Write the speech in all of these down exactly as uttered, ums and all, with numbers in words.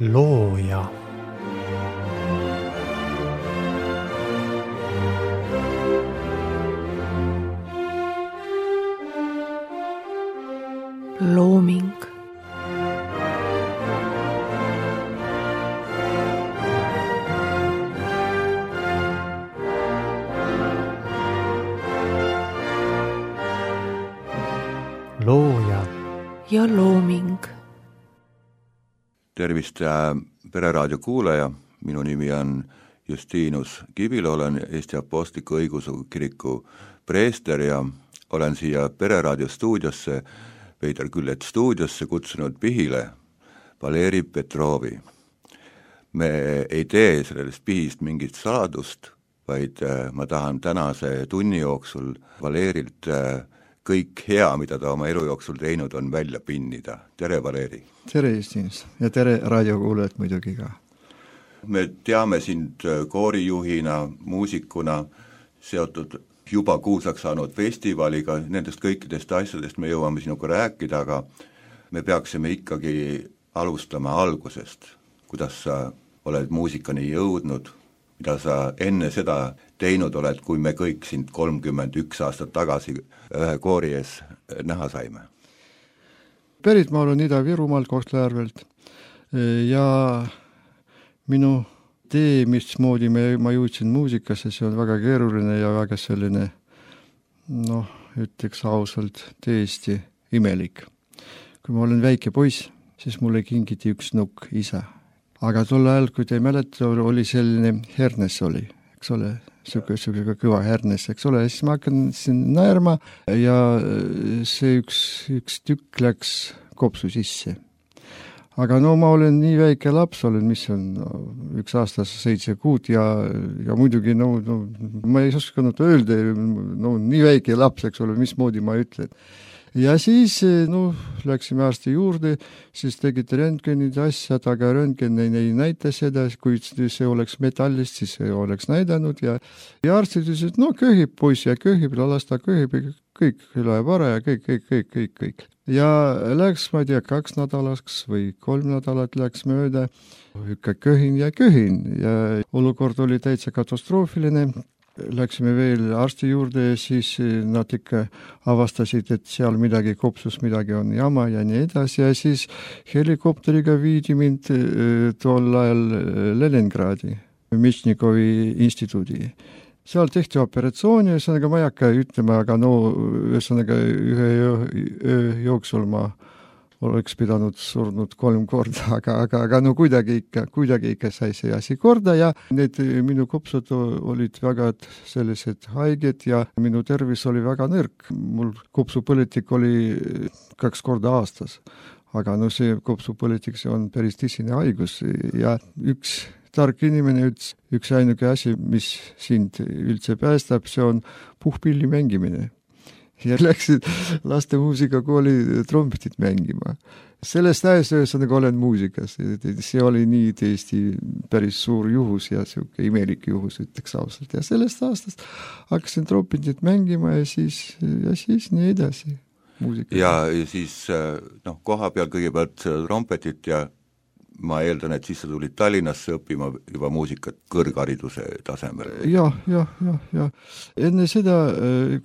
looja. Looming. Looja ja looming. Tervist Pereraadio kuulaja, minu nimi on Justinus Kibilo, olen Eesti Apostliku Õigeusu Kiriku preester ja olen siia Pereraadio stuudiosse, Veider Küllet stuudiosse kutsunud Pihile Valeri Petrovi. Me ei tee sellest Pihist mingit saladust, vaid ma tahan tänase tunni jooksul Valerilt kõik hea, mida ta oma elu jooksul teinud on, välja pinnida. Tere, Valeri! Tere, Justinus! Ja tere raadiokuulajad muidugi ka! Me teame sind koorijuhina, muusikuna, seotud juba kuulsaks saanud festivaliga, nendest kõikidest asjadest me jõuame sinuga rääkida, aga me peaksime ikkagi alustama algusest. Kuidas sa oled muusikani jõudnud, mida sa enne seda teinud oled, kui me kõik sind kolmkümmend üks aastat tagasi ühe koori ees näha saime? Pärit ma olen Ida-Virumaalt Kohtla-Järvelt ja minu tee, mismoodi me, ma jõudsin muusikasse, see on väga keeruline ja väga selline, noh, ütleks ausalt, tõesti imelik. Kui ma olen väike poiss, siis mulle kingiti üks nukk isa. Aga tol ajal, kui te mäleta, oli selline hernes oli, eks ole, siuke kõva hernes, eks ole, siis ma hakkan siin naerma ja see üks, üks tükk läks kopsu sisse. Aga no ma olen nii väike laps, olen, mis on no, üks aastas seitse kuud ja, ja muidugi no, no, ma ei oskanud öelda, no nii väike laps, eks ole, mismoodi ma ütlen. Ja siis no, läksime arsti juurde, siis tegid röntgenid asjad, aga röntgen ei, ei näita seda, kui see oleks metallist, siis see oleks näidanud ja, ja arstid ütlesid, no köhib poiss ja köhib, las ta köhib, kõik läheb ära ja kõik, kõik, kõik, kõik, kõik. Ja läks, ma ei tea, kaks nädalaks või kolm nädalat läks mööda, ikka köhin ja köhin ja olukord oli täitsa katastroofiline. Läksime veel arsti juurde ja siis nad ikka avastasid, et seal midagi kopsus, midagi on jama ja nii edasi ja siis helikopteriga viidi mind tol ajal Leningradi, Mišnikovi instituudi. Seal tehti operatsiooni, ühesõnaga ma ei hakka ütlema, aga no ühesõnaga ühe öö jooksul ma oleks pidanud surnud kolm korda, aga, aga, aga no kuidagi ikka, kuidagi ikka sai see asi korda ja need minu kopsud olid väga sellised haiged ja minu tervis oli väga nõrk. Mul kopsupõletik oli kaks korda aastas, aga no see kopsupõletik, see on päris tõsine haigus ja üks tark inimene ütles, üks ainuke asi, mis sind üldse päästab, see on puhpilli mängimine. Ja läksid laste muusikakooli trompetit mängima. Sellest ajast ühesõnaga olen muusikas. See oli nii tõesti päris suur juhus ja siuke imelik juhus, ütleks ausalt. Ja sellest aastast hakkasin trompetit mängima ja siis, ja siis nii edasi muusika. Ja, ja siis no, koha peal kõigepealt trompetit ja ma eeldan, et siis sa tulid Tallinnasse õppima juba muusikat kõrghariduse tasemel. Jah, jah, jah, jah. Enne seda,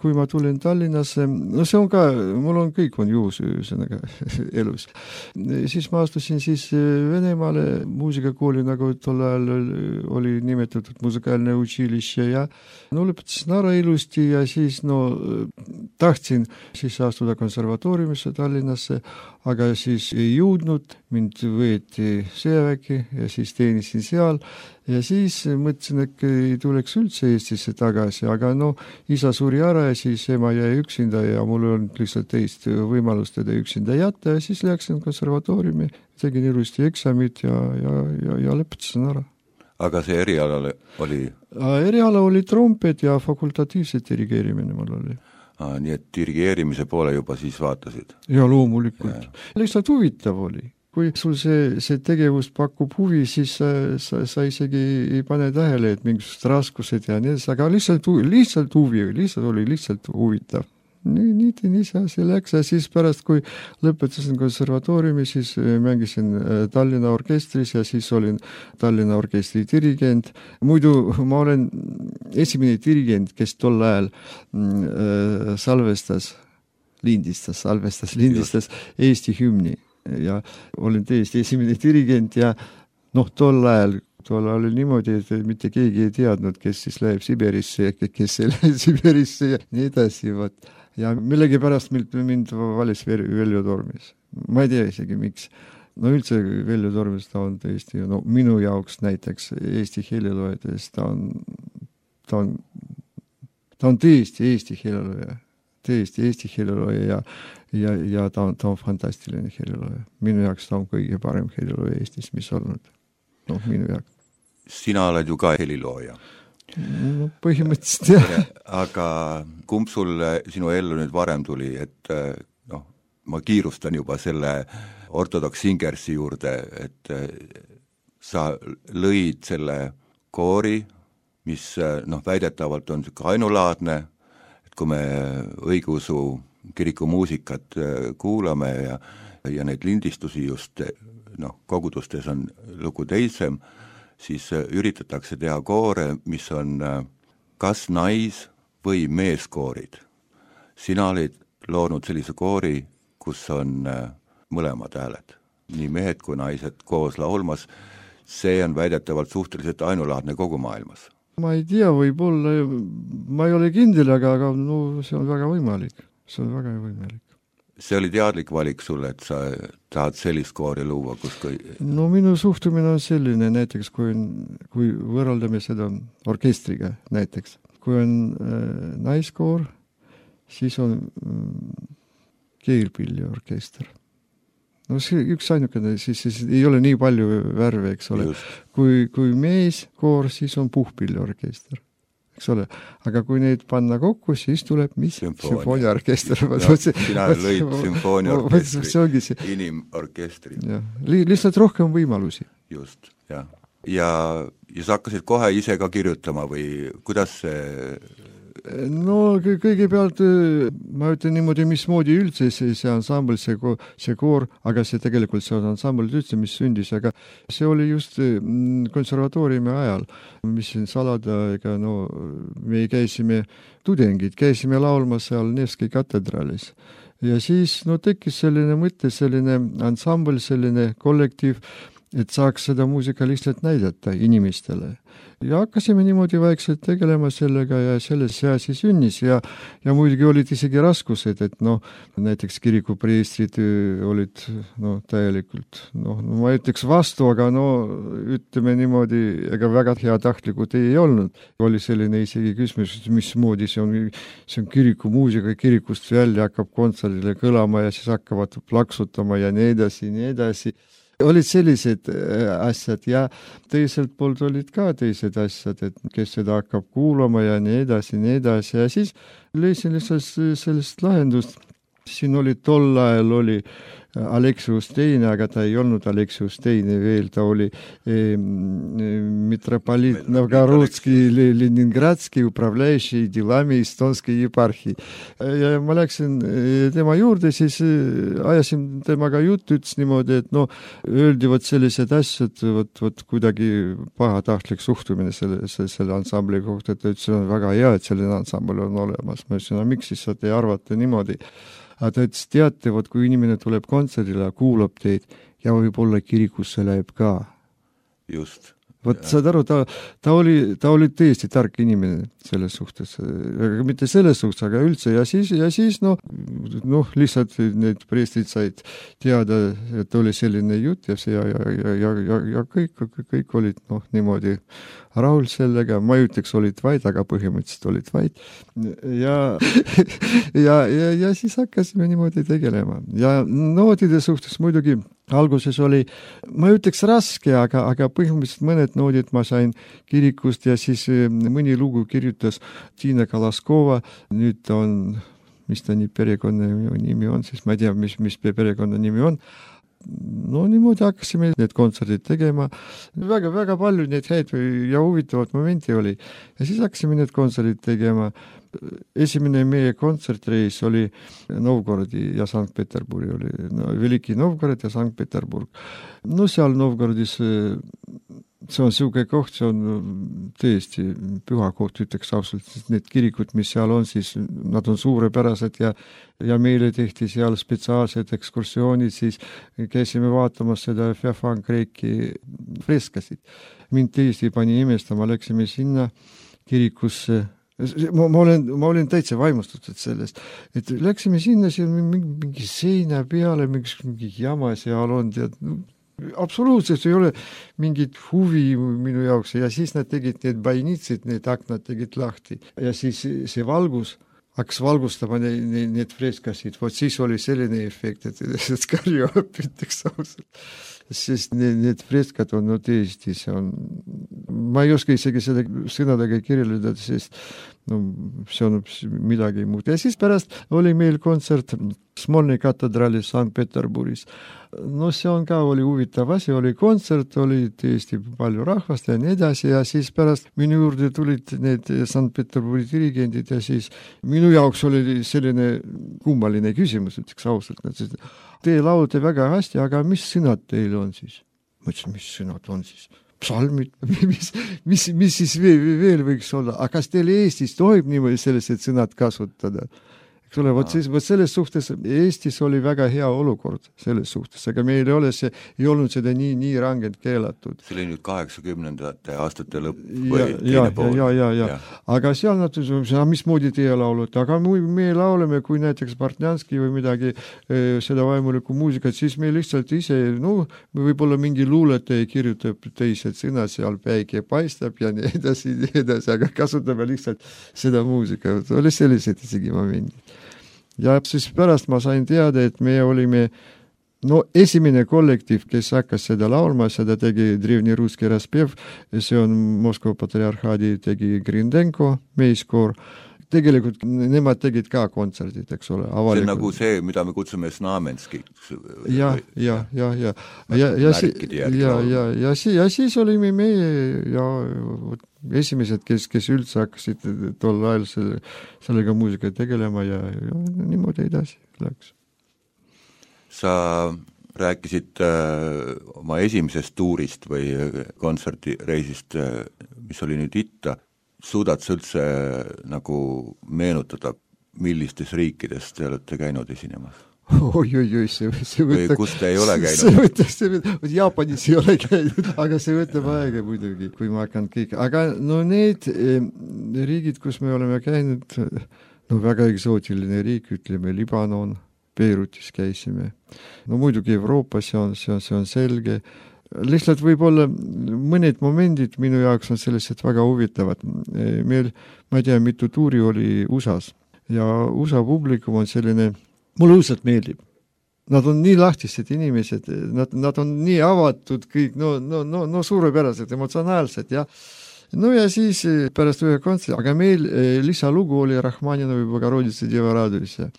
kui ma tulin Tallinnasse, no see on ka, mul on kõik on juhus ühesõnaga elus. Siis ma astusin siis Venemaale muusikakooli, nagu tol ajal oli nimetatud musikaalne učilišče ja no lõpetasin ära ilusti ja siis no tahtsin siis astuda konservatooriumisse Tallinnasse, aga siis ei jõudnud, mind võeti sõjaväki ja siis teenisin seal ja siis mõtlesin, et ei tuleks üldse Eestisse tagasi, aga no isa suri ära ja siis ema jäi üksinda ja mul on lihtsalt teist võimalust teda üksinda jätta ja siis läksin konservatooriumi, tegin ilusti eksamid ja, ja, ja, ja lõpetasin ära. Aga see eriala oli? Eriala oli trompet ja fakultatiivset dirigeerimine mul oli. Ah, nii et dirigeerimise poole juba siis vaatasid? Ja loomulikult. Lihtsalt huvitav oli. Kui sul see, see tegevus pakub huvi, siis sa, sa, sa isegi ei pane tähele, et mingisugused raskused ja nii, aga lihtsalt, lihtsalt huvi, lihtsalt oli lihtsalt huvitav. nii, nii, nii see asi läks ja siis pärast, kui lõpetasin konservatooriumi, siis mängisin Tallinna orkestris ja siis olin Tallinna orkestri dirigent. Muidu ma olen esimene dirigent, kes tol ajal äh, salvestas, lindistas, salvestas, lindistas Just. Eesti hümni ja olin tõesti esimene dirigent ja noh, tol ajal tol oli niimoodi, et mitte keegi ei teadnud, kes siis läheb Sibirisse ja kes ei lähe Sibirisse ja nii edasi. Võt. Ja millegi pärast mind, mind valis Veljo Tormis. Ma ei tea isegi, miks. No üldse Veljo Tormis ta on tõesti, no minu jaoks näiteks Eesti heliloojas, ta on, ta on, ta on tõesti Eesti helilooja. Tõesti Eesti helilooja ja, ja, ja ta on, ta on fantastiline helilooja. Minu jaoks ta on kõige parem helilooja Eestis, mis olnud. No, minu jaoks. Sina oled ju ka helilooja. No, põhimõtteliselt jah. Aga kumb sul sinu ellu nüüd varem tuli, et noh, ma kiirustan juba selle ortodoks Singersi juurde, et sa lõid selle koori, mis noh, väidetavalt on ainulaadne, et kui me õigeusu kiriku muusikat kuulame ja, ja neid lindistusi just noh, kogudustes on lugu teisem, siis üritatakse teha koore, mis on kas nais- või meeskoorid. Sina olid loonud sellise koori, kus on mõlemad hääled, nii mehed kui naised koos laulmas. See on väidetavalt suhteliselt ainulaadne kogu maailmas. Ma ei tea, võib-olla, ma ei ole kindel, aga, aga no, see on väga võimalik. See on väga võimalik. See oli teadlik valik sulle, et sa tahad sellist koori luua, kus kui... No minu suhtumine on selline, näiteks kui, kui võrraldame seda orkestriga näiteks. Kui on äh, naiskoor, siis on äh, keelpilli orkester. No see üks ainukene, siis, siis ei ole nii palju värve, eks ole. Kui, kui meeskoor, siis on puhpilli orkester. Eks ole. Aga kui neid panna kokku, siis tuleb mis? Sümfooniaorkester. Sina lõid sümfooniaorkestri, inimorkestri. Li, lihtsalt rohkem võimalusi. Just, jah. Ja, ja sa hakkasid kohe ise ka kirjutama või kuidas see... No kõigepealt ma ütlen niimoodi, mismoodi üldse see, see ansambl, see, see koor, aga see tegelikult see on ansambl üldse, mis sündis, aga see oli just konservatooriumi ajal, mis siin salada, ega no me käisime tudengid, käisime laulma seal Nevski katedraalis. Ja siis no tekkis selline mõte, selline ansambl, selline kollektiiv, et saaks seda muusika lihtsalt näidata inimestele. Ja hakkasime niimoodi vaikselt tegelema sellega ja selles see asi sünnis ja, ja muidugi olid isegi raskused, et noh, näiteks kirikupreestrid olid no, täielikult, noh, ma ütleks vastu, aga no ütleme niimoodi, ega väga hea tahtlikud ei olnud. Oli selline isegi küsimus, mismoodi see on, see on kirikumuusika, kirikust välja hakkab kontserdile kõlama ja siis hakkavad plaksutama ja nii edasi, nii edasi. Olid sellised asjad ja teiselt poolt olid ka teised asjad, et kes seda hakkab kuulama ja nii edasi, nii edasi ja siis leisin lihtsalt sellist lahendust. Siin oli tol ajal oli Aleksius teine, aga ta ei olnud Aleksius teine veel, ta oli eh, mitropoliit Novgorodski, Leningradski, upravляющий делами Estonski eparhi. Ja ma läksin tema juurde, siis ajasin temaga juttu, ütles niimoodi, et no öeldi võt sellised asjad, võt, võt kuidagi pahatahtlik suhtumine selle, selle ansambli kohta, et ütles, on väga hea, et selline ansambl on olemas. Ma ütlesin, no miks siis te arvate niimoodi? Aga ta ütles, teate, võt, kui inimene tuleb kontserdile, kuulab teid ja võib-olla kirikusse läheb ka. Just. Võt, saad aru, ta, ta, oli, ta oli tõesti tark inimene selles suhtes, aga mitte selles suhtes, aga üldse ja siis, ja siis noh, noh, lihtsalt need preestrid said teada, et oli selline jutt ja see ja, ja, ja, ja, ja kõik, kõik olid noh, niimoodi rahul sellega, ma ei ütleks olid vaid, aga põhimõtteliselt olid vaid ja, ja, ja, ja siis hakkasime niimoodi tegelema ja noodide suhtes muidugi alguses oli, ma ütleks raske, aga, aga põhimõtteliselt mõned noodid ma sain kirikust ja siis mõni lugu kirjutas Tiina Kalaskova, nüüd on, mis ta nii perekonna nimi on, siis ma ei tea, mis, mis perekonna nimi on, no niimoodi hakkasime need kontserdid tegema, väga, väga palju neid häid ja huvitavat momenti oli ja siis hakkasime need kontserdid tegema. Esimene meie kontsertreis oli Novgorodi ja Sankt-Peterburi oli, no, Veliki Novgorod ja Sankt-Peterburg. No seal Novgorodis see on siuke koht, see on tõesti püha koht, ütleks ausalt, need kirikud, mis seal on, siis nad on suurepärased ja, ja meile tehti seal spetsiaalsed ekskursioonid, siis käisime vaatamas seda Feofan Kreeki freskasid. Mind tõesti pani imestama, läksime sinna kirikusse. Ma, ma, olen, ma olen täitsa vaimustatud sellest, et läksime sinna, siin mingi, mingi seina peale, mingi, mingi jama seal on, tead, absoluutselt ei ole mingit huvi minu jaoks ja siis nad tegid need bainitsid, need aknad tegid lahti ja siis see valgus hakkas valgustama need, need, need freskasid, vot siis oli selline efekt, et, et karju õpiteks ausalt. Sest need, need freskad on no tõesti, see on, ma ei oska isegi seda sõnadega kirjeldada, sest no, see on midagi muud. Ja siis pärast oli meil kontsert Smolny katedraalis Sankt-Peterburis. No see on ka oli huvitav asi, oli kontsert, oli tõesti palju rahvast ja nii edasi ja siis pärast minu juurde tulid need Sankt-Peterburi dirigendid ja siis minu jaoks oli selline kummaline küsimus, ütleks ausalt, et te laulate väga hästi, aga mis sõnad teil on siis? Ma ütlesin, mis sõnad on siis? Psalmid, mis, mis, mis siis veel, veel võiks olla? Aga kas teil Eestis tohib niimoodi sellised sõnad kasutada? Eks ole, võt, siis, võt selles suhtes Eestis oli väga hea olukord selles suhtes, aga meil ei ole see, ei olnud seda nii, nii rangelt keelatud. See oli nüüd kaheksakümnendate aastate lõpp või ja, teine pool. Ja, ja, ja, ja. Aga seal nad ütlesid, mismoodi teie laulute, aga me lauleme, kui näiteks Bartnjanski või midagi seda vaimulikku muusikat, siis me lihtsalt ise, no võib-olla mingi luuletaja kirjutab teised sõnad, seal päike paistab ja nii edasi, nii edasi, aga kasutame lihtsalt seda muusika. Oli sellised isegi momendid. Ja siis pärast ma sain teada, et me olime no esimene kollektiiv, kes hakkas seda laulma, seda tegi Drevni Ruski Raspev, see on Moskva patriarhaadi tegi Grindenko meiskoor. Tegelikult nemad tegid ka kontserdid, eks ole. Avalikud. See on nagu see, mida me kutsume Znamenski. Ja, ja, ja, ja. Ja, ja, ja, ja, ja, ja siis olime meie ja esimesed, kes, kes üldse hakkasid tol ajal selle, sellega muusika tegelema ja, ja niimoodi edasi läks. Sa rääkisid äh, oma esimesest tuurist või kontserdireisist, äh, mis oli nüüd itta. Suudad sa üldse nagu meenutada, millistes riikides te olete käinud esinemas? Oi, oi, oi, see, see võtab... Või kus te ei ole käinud? See võtab, see võtab, Jaapanis ei ole käinud, aga see võtab aega muidugi, kui ma hakkan kõik. Aga no need eh, riigid, kus me oleme käinud, no väga eksootiline riik, ütleme Libanon, Beirutis käisime. No muidugi Euroopas see on, see on, see on selge. Lihtsalt võib-olla mõned momendid minu jaoks on sellised väga huvitavad. Meil, ma ei tea, mitu tuuri oli U S A-s ja U S A publikum on selline, mulle õudselt meeldib. Nad on nii lahtised inimesed, nad, nad on nii avatud kõik, no, no, no, no suurepärased, emotsionaalsed ja no ja siis pärast ühe kontserti, aga meil lisalugu oli Rahmaninovi Bogoroditsa Deva Radovisse.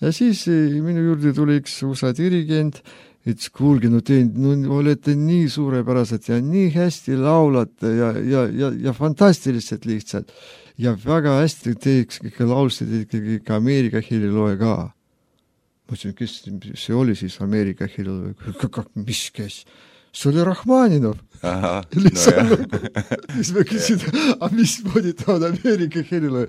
Ja siis minu juurde tuli üks U S A dirigent, et kuulge, no te no, olete nii suurepärased ja nii hästi laulate ja, ja, ja, ja fantastiliselt lihtsalt. Ja väga hästi teeks laulsid ikkagi ka Ameerika heliloe ka. Ma ütlesin, kes see oli siis Ameerika heliloe? Mis kes? See oli Rahmaninov. Aha, no mis ma küsin, aga mismoodi ta on Ameerika heliloe?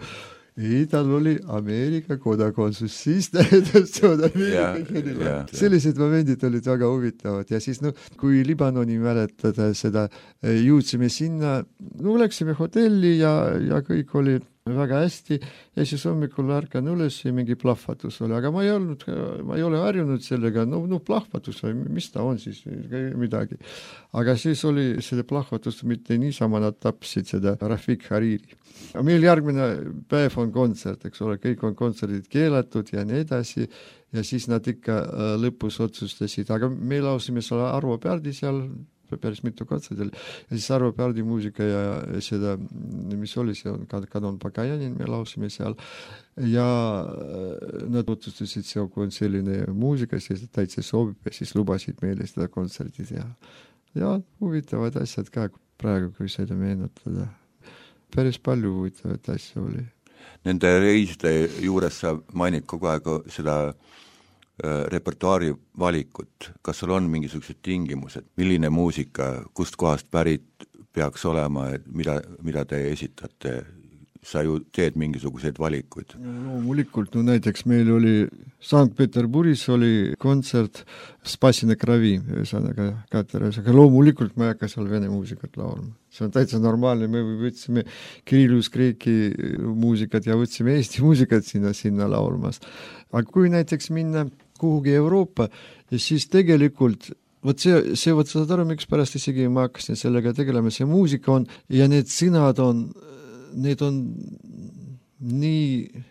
Ei, tal oli Ameerika kodakondsus, siis tähendas see on Ameerika heliloe. Sellised momendid olid väga huvitavad ja siis, no, kui Libanoni mäletada seda, jõudsime sinna, no läksime hotelli ja, ja kõik oli väga hästi ja siis hommikul ärkan üles ja mingi plahvatus oli, aga ma ei olnud, ma ei ole harjunud sellega, no, no plahvatus või mis ta on siis, midagi. Aga siis oli selle plahvatus mitte niisama, nad tapsid seda Rafik Hariri. Meil järgmine päev on kontsert, eks ole, kõik on kontserdid keelatud ja nii edasi ja siis nad ikka lõpus otsustasid, aga me lausime selle Arvo Pärdi seal päris mitu kontserdil ja siis Arvo Pärdi muusika ja seda, mis oli, see on Kadon Pagajanin, me laulsime seal ja nad otsustasid, see on selline muusika, siis täitsa sobib ja siis lubasid meile seda kontserti teha. Ja huvitavad asjad ka praegu, kui seda meenutada. Päris palju huvitavad asja oli. Nende reiside juures sa mainid kogu aeg seda äh, repertuaari valikut. Kas sul on mingisugused tingimused? Milline muusika, kust kohast pärit peaks olema, et mida, mida te esitate? Sa ju teed mingisuguseid valikuid. Loomulikult, no näiteks meil oli Sankt-Peterburis oli kontsert Spassina Kravi, ühesõnaga Kateras, aga loomulikult ma ei hakka seal vene muusikat laulma. See on täitsa normaalne, me võtsime Kirillus Kreeki muusikat ja võtsime Eesti muusikat sinna, sinna laulmas. Aga kui näiteks minna kuhugi Euroopa, ja siis tegelikult Vot see, see võt saad aru, miks pärast isegi ma hakkasin sellega tegelema, see muusika on ja need sõnad on need on nii,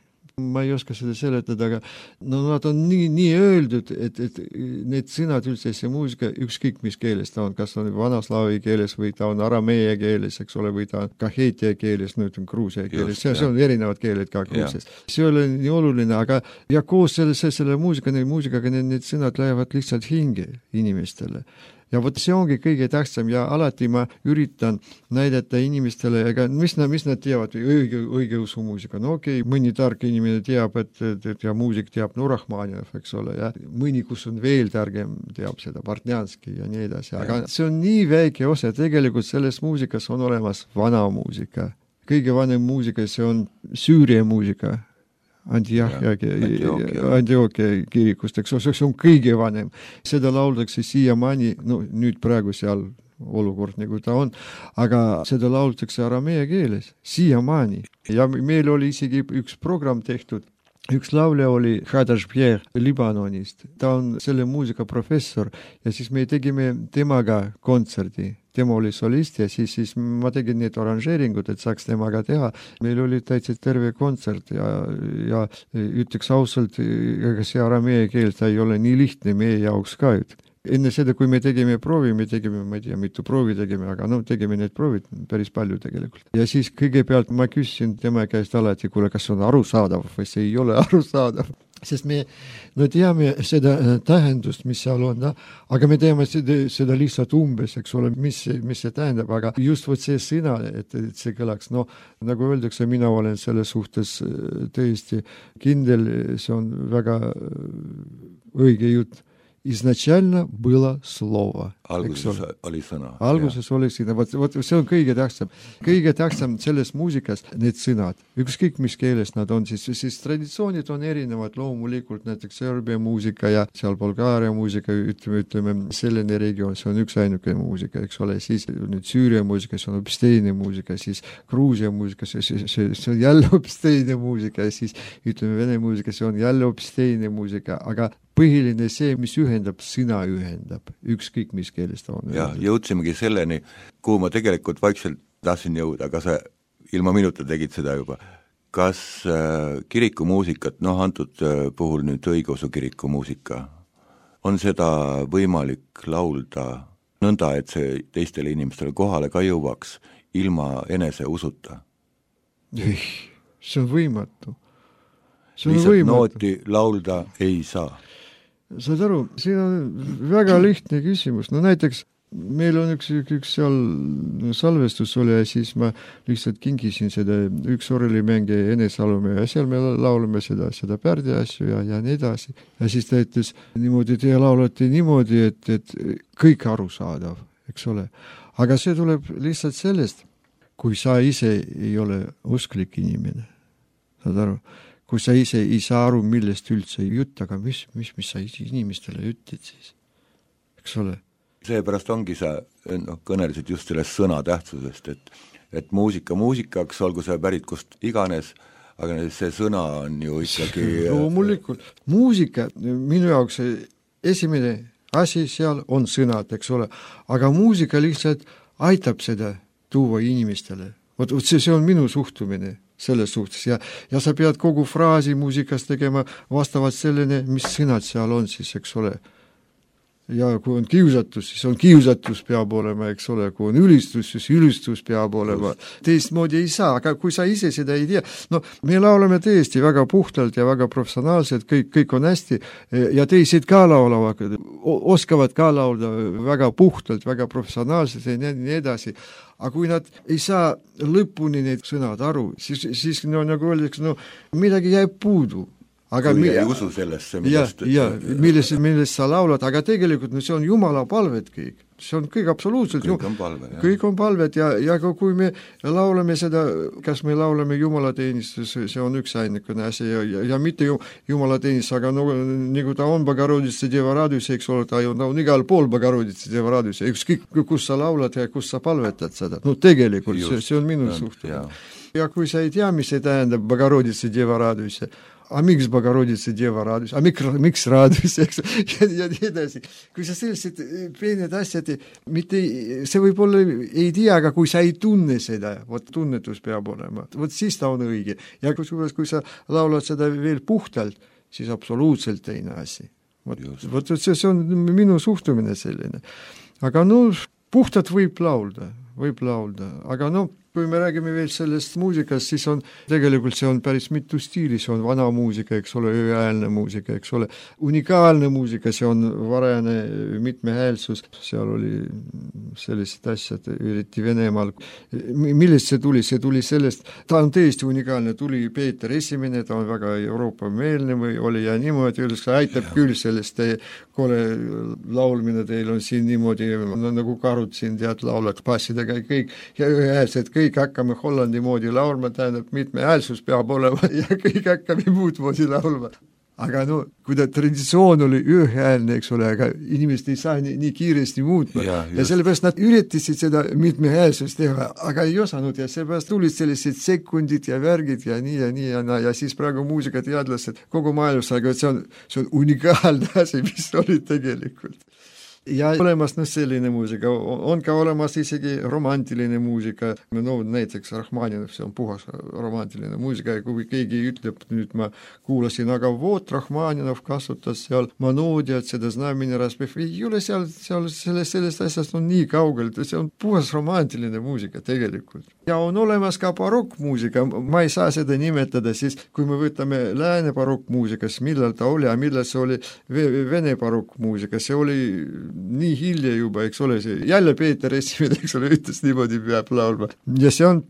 ma ei oska seda seletada, aga no nad on nii, nii öeldud, et, et need sõnad üldse, see muusika, ükskõik mis keeles ta on, kas on vanaslaavi keeles või ta on arameia keeles, eks ole, või ta on kahetia keeles, no ütleme Gruusia keeles, see, see on erinevad keeled ka Gruusias. See ei ole nii oluline, aga ja koos selle, selle muusika, need muusikaga need, need sõnad lähevad lihtsalt hinge inimestele. Ja vot see ongi kõige tähtsam ja alati ma üritan näidata inimestele, ega mis, mis nad teavad, õige, õige usu muusika. No okei, okay, mõni tark inimene teab, et, et, et ja muusik teab Nurahmanjev, eks ole, ja mõni, kus on veel targem, teab seda Bartnjanski ja nii edasi. Aga see on nii väike osa, tegelikult selles muusikas on olemas vana muusika. Kõige vanem muusika, see on Süüria muusika. Antiochia, Antiochia kirikust, eks ole, see on kõige vanem. Seda lauldakse siiamaani, no nüüd praegu seal olukord nagu ta on, aga seda lauldakse aramea keeles, siiamaani. Ja meil oli isegi üks program tehtud, üks laulja oli Hadash Pierre Libanonist, ta on selle muusika professor ja siis me tegime temaga kontserdi. Tema oli solist ja siis, siis ma tegin need oranžeeringud, et saaks temaga teha. Meil oli täitsa terve kontsert ja, ja ütleks ausalt, ega see aramea keel, ta ei ole nii lihtne meie jaoks ka. Enne seda, kui me tegime proovi, me tegime, ma ei tea, mitu proovi tegime, aga no tegime need proovid päris palju tegelikult. Ja siis kõigepealt ma küsisin tema käest alati, kuule, kas on arusaadav või see ei ole arusaadav. Sest me no teame seda tähendust, mis seal on, da? Aga me teame seda, seda lihtsalt umbes, eks ole, mis, mis see tähendab, aga just võt see sõna, et, et see kõlaks, no nagu öeldakse, mina olen selle suhtes tõesti kindel, see on väga õige jutt. Изначально было слово. Alguses oli sõna. Alguses ja. Oli sõna. Vot, vot, see on kõige tähtsam. Kõige tähtsam selles muusikas need sõnad. Ükskõik mis keeles nad on, siis, siis traditsioonid on erinevad loomulikult, näiteks Serbia muusika ja seal Bulgaaria muusika, ütleme, ütleme, selline regioon, see on üks ainuke muusika, eks ole, siis nüüd Süüria muusika, see on hoopis teine muusika, siis Gruusia muusika, see, see, see, see on jälle hoopis teine muusika ja siis ütleme Vene muusika, see on jälle hoopis teine muusika, aga põhiline see, mis ühendab, sõna ühendab, ükskõik mis keeles ta on. Ja jõudsimegi selleni, kuhu ma tegelikult vaikselt tahtsin jõuda, aga sa ilma minuta tegid seda juba. Kas äh, kirikumuusikat, noh antud äh, puhul nüüd õigeusu kirikumuusika, on seda võimalik laulda nõnda, et see teistele inimestele kohale ka jõuaks ilma enese usuta? Ei, see on võimatu. See on lihtsalt võimatu. Nooti laulda ei saa. Saad aru, siin on väga lihtne küsimus. No näiteks meil on üks, üks seal salvestus oli ja siis ma lihtsalt kingisin seda üks orelimängija enesalume ja seal me laulame seda, seda Pärdi asju ja, ja nii edasi. Ja siis ta ütles niimoodi, te laulate niimoodi, et, et kõik arusaadav, eks ole. Aga see tuleb lihtsalt sellest, kui sa ise ei ole usklik inimene. Saad aru? Kui sa ise ei saa aru, millest üldse jutt, aga mis, mis, mis sa inimestele ütled siis, eks ole? Seepärast ongi sa no, kõnelisid just sellest sõna tähtsusest, et, et muusika muusikaks, olgu see pärit kust iganes, aga see sõna on ju ikkagi... Loomulikult. Muusika, minu jaoks esimene asi seal on sõnad, eks ole, aga muusika lihtsalt aitab seda tuua inimestele. Vot, vot see, see on minu suhtumine selles suhtes ja, ja sa pead kogu fraasi muusikas tegema vastavalt sellele, mis sõnad seal on siis, eks ole. ja kui on kiusatus, siis on kiusatus peab olema, eks ole, kui on ülistus, siis ülistus peab olema. Teistmoodi ei saa, aga kui sa ise seda ei tea, no me laulame tõesti väga puhtalt ja väga professionaalselt, kõik, kõik on hästi ja teised ka laulavad, oskavad ka laulda väga puhtalt, väga professionaalselt ja nii edasi. Aga kui nad ei saa lõpuni need sõnad aru, siis, siis no, nagu öeldakse, no midagi jääb puudu. Aga kui mi- ei usu sellesse, millest, ja, ja, millest, millest sa laulad, aga tegelikult no, see on Jumala palved kõik. See on kõik absoluutselt, kõik on palved, kõik on palved ja, ja kui me laulame seda, kas me laulame Jumala teenistus, see on üks ainekene asi ja, ja, ja mitte Jumala teenistus, aga no, nagu ta on Bogorodice Deva raadius, eks ole, ta on, on igal pool Bogorodice Deva raadius, ükskõik kus sa laulad ja kus sa palvetad seda. No tegelikult see, see on minu suhtumine. Ja kui sa ei tea, mis see tähendab Bogorodice Deva raadius, a miks Bogorodice Deva raadius, a miks, miks raadius, eks, ja, ja nii edasi. Kui sa sellised peened asjad, mitte, see võib-olla ei tea, aga kui sa ei tunne seda, vot tunnetus peab olema, vot siis ta on õige. Ja kui, kui sa laulad seda veel puhtalt, siis absoluutselt teine asi. Vot, vot see, see on minu suhtumine selline. Aga no, puhtalt võib laulda, võib laulda, aga no, kui me räägime veel sellest muusikast, siis on, tegelikult see on päris mitu stiili, see on vana muusika, eks ole, ööhäälne muusika, eks ole, unikaalne muusika, see on varajane mitmehäälsus, seal oli sellised asjad, üriti Venemaal. Millest see tuli? See tuli sellest, ta on tõesti unikaalne, tuli Peeter Esimene, ta on väga Euroopa-meelne või oli ja niimoodi, öeldes, aitab küll sellest, kole laulmine teil on siin niimoodi, no, nagu karud siin tead laulad passidega kõik ja ühehäälsed kõik hakkame Hollandi moodi laulma, tähendab mitme häälsus peab olema ja kõik hakkame muud moodi laulma. Aga no, kui ta traditsioon oli ühehäälne, eks ole, aga inimesed ei saa nii, nii kiiresti muutma. Ja, ja sellepärast nad üritasid seda mitme häälsust teha, aga ei osanud ja sellepärast tulid sellised sekundid ja värgid ja nii ja nii ja, na, ja siis praegu muusikateadlased kogu maailmas, aga see on, see on unikaalne asi, mis oli tegelikult. Ja olemas no, selline muusika, on ka olemas isegi romantiline muusika, no näiteks Rahmaninov, see on puhas romantiline muusika ja kui keegi ütleb, nüüd ma kuulasin, aga voot Rahmaninov kasutas seal Manodiat, seda znameni raspef, ei ole seal, seal sellest, sellest asjast on nii kaugel, see on puhas romantiline muusika tegelikult. Ja on olemas ka barokkmuusika, ma ei saa seda nimetada, siis kui me võtame lääne barokkmuusikas, millal ta oli ja millal see oli vene barokkmuusika, see oli nii hilja juba, eks ole, see jälle Peeter Esimene, eks ole, ütles niimoodi peab laulma. Ja see on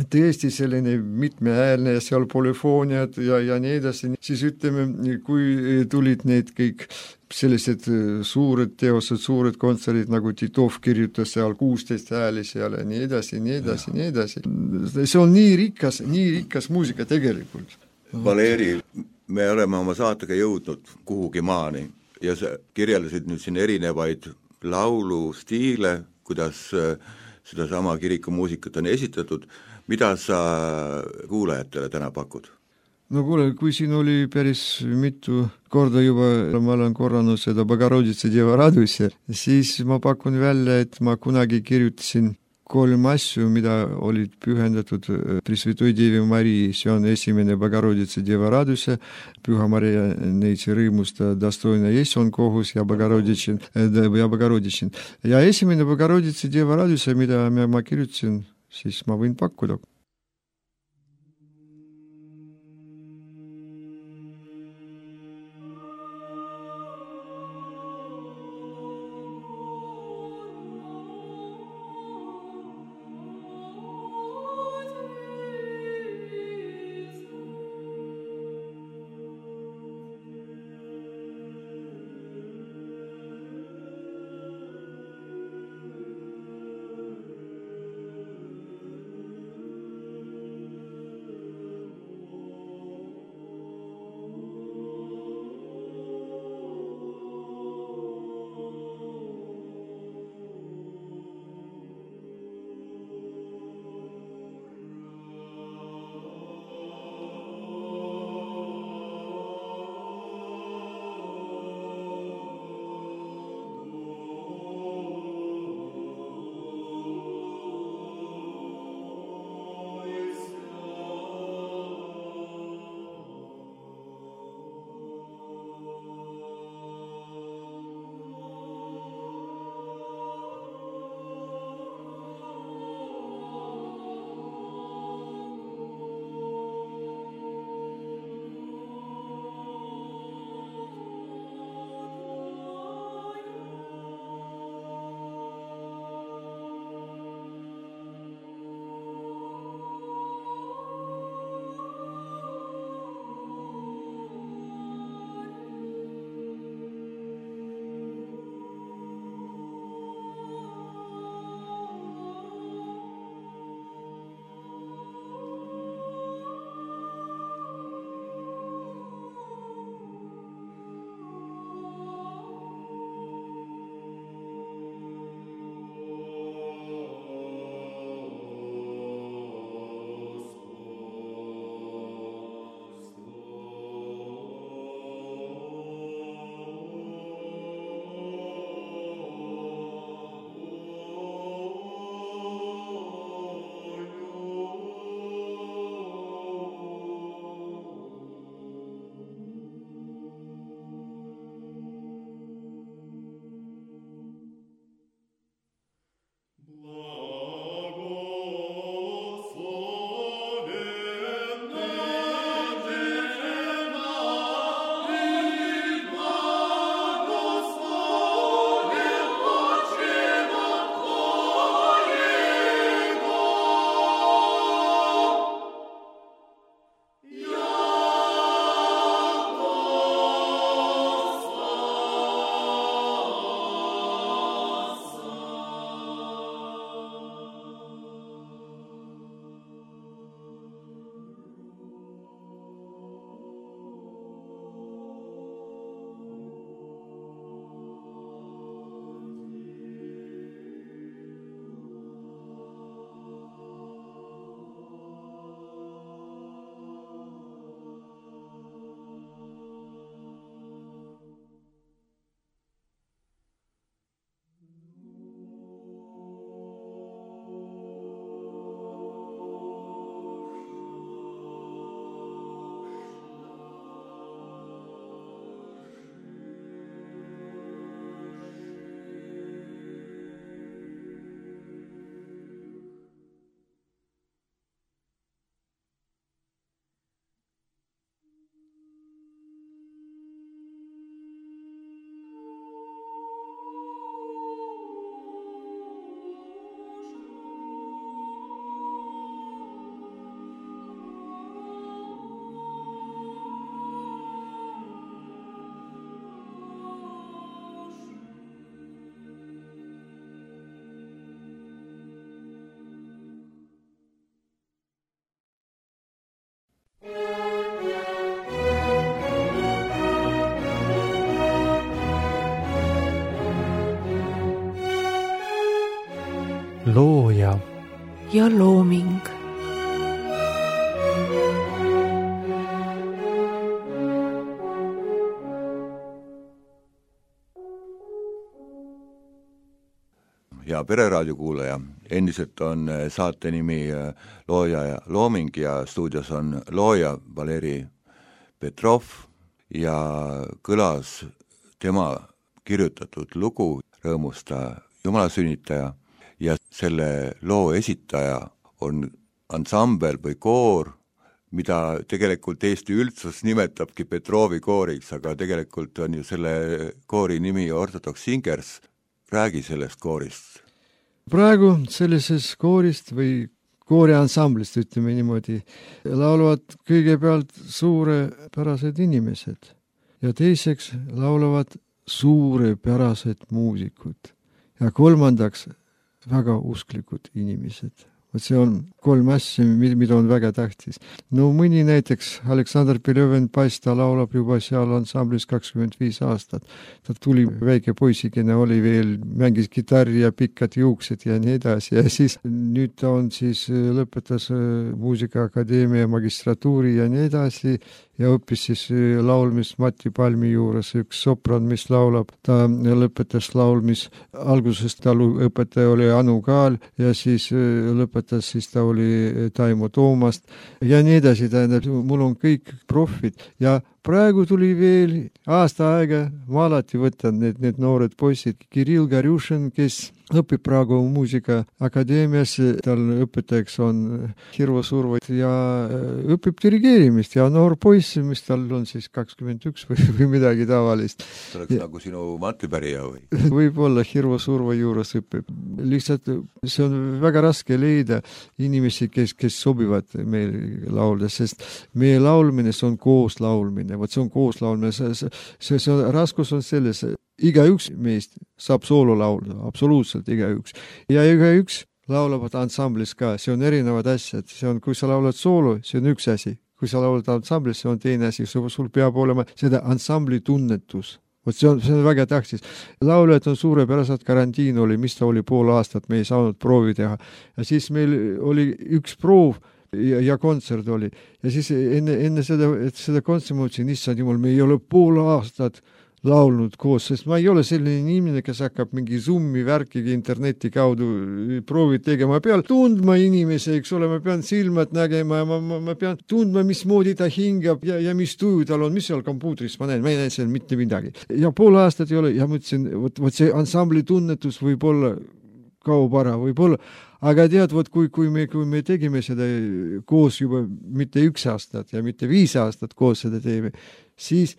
tõesti selline mitmehäälne ja seal polüfooniad ja, ja nii edasi. Siis ütleme, kui tulid need kõik sellised suured teosed, suured kontserdid, nagu Titov kirjutas seal kuusteist hääli seal ja nii edasi, nii edasi, nii edasi. See on nii rikas, nii rikas muusika tegelikult. Valeri, me oleme oma saatega jõudnud kuhugi maani ja sa kirjeldasid nüüd siin erinevaid laulustiile, kuidas seda sama kirikumuusikat on esitatud. Mida sa kuulajatele täna pakud? No kuule, kui siin oli päris mitu korda juba, ma olen korranud seda Bogorodice Deva raadiusse, siis ma pakun välja, et ma kunagi kirjutasin kolm asju, mida olid pühendatud Presvetoi Devi Marii, see on esimene Bogorodice Deva raadiusse, Püha Maria neitsi rõõmusta Dostoina Jesson kohus ja Bogorodice ja Bogorodice. Ja esimene Bogorodice Deva raadiusse, mida ma kirjutasin, siis ma võin pakkuda. looja ja looming. Ja Pereraadio kuulaja, endiselt on saate nimi Looja ja looming ja stuudios on looja Valeri Petrov ja kõlas tema kirjutatud lugu Rõõmusta jumalasünnitaja ja selle loo esitaja on ansambel või koor, mida tegelikult Eesti üldsus nimetabki Petrovi kooriks, aga tegelikult on ju selle koori nimi Orthodox Singers. Räägi sellest koorist. Praegu sellises koorist või kooriansamblist, ütleme niimoodi, laulavad kõigepealt suurepärased inimesed ja teiseks laulavad suurepärased muusikud ja kolmandaks väga usklikud inimesed. See on kolm asja, mida on väga tähtis. No mõni näiteks Aleksandr Belõven paista laulab juba seal ansamblis kakskümmend viis aastat. Ta tuli väike poisikene, oli veel, mängis kitarri ja pikkad juuksed ja nii edasi. Ja siis nüüd ta on siis lõpetas muusikaakadeemia magistratuuri ja nii edasi ja õppis siis laulmis Mati Palmi juures, üks sopran, mis laulab. Ta lõpetas laulmis, alguses ta õpetaja oli Anu Kaal ja siis lõpetas, siis ta oli Taimo Toomast ja nii edasi, tähendab, mul on kõik profid ja praegu tuli veel aasta aega, ma alati võtan need, need noored poisid, Kirill Garjušin, kes õpib praegu muusikaakadeemias, tal õpetajaks on Hirvo Survo ja õpib dirigeerimist ja noor poiss, mis tal on siis kakskümmend üks või, või midagi tavalist. See oleks ja, nagu sinu matlipärija või? Võib-olla Hirvo Survo juures õpib. Lihtsalt see on väga raske leida inimesi, kes, kes sobivad meil laulda, sest meie laulmine, see on koos laulmine. Vot see on koos laulmine. See, see, see on, raskus on selles, igaüks meist saab soolo laulda, absoluutselt igaüks. Ja igaüks laulavad ansamblis ka, see on erinevad asjad. See on, kui sa laulad soolo, see on üks asi. Kui sa laulad ansamblis, see on teine asi. Sul peab olema seda ansambli tunnetus. Vot see on, see on väga tähtis. Lauljad on suurepärased, karantiin oli, mis ta oli pool aastat, me ei saanud proovi teha. Ja siis meil oli üks proov ja, ja kontsert oli. Ja siis enne, enne seda, et seda kontsert mõtlesin, issand jumal, me ei ole pool aastat laulnud koos, sest ma ei ole selline inimene, kes hakkab mingi Zoomi värkigi interneti kaudu proovid tegema. Ma pean tundma inimese, eks ole, ma pean silmad nägema ja ma, ma, ma pean tundma, mismoodi ta hingab ja, ja mis tuju tal on, mis seal kompuutris ma näen, ma ei näe seal mitte midagi. Ja pool aastat ei ole ja mõtlesin, võt, võt see ansambli tunnetus võib olla kaob ära, võib olla, aga tead, võt, kui, kui, me, kui me tegime seda koos juba mitte üks aastat ja mitte viis aastat koos seda teeme, siis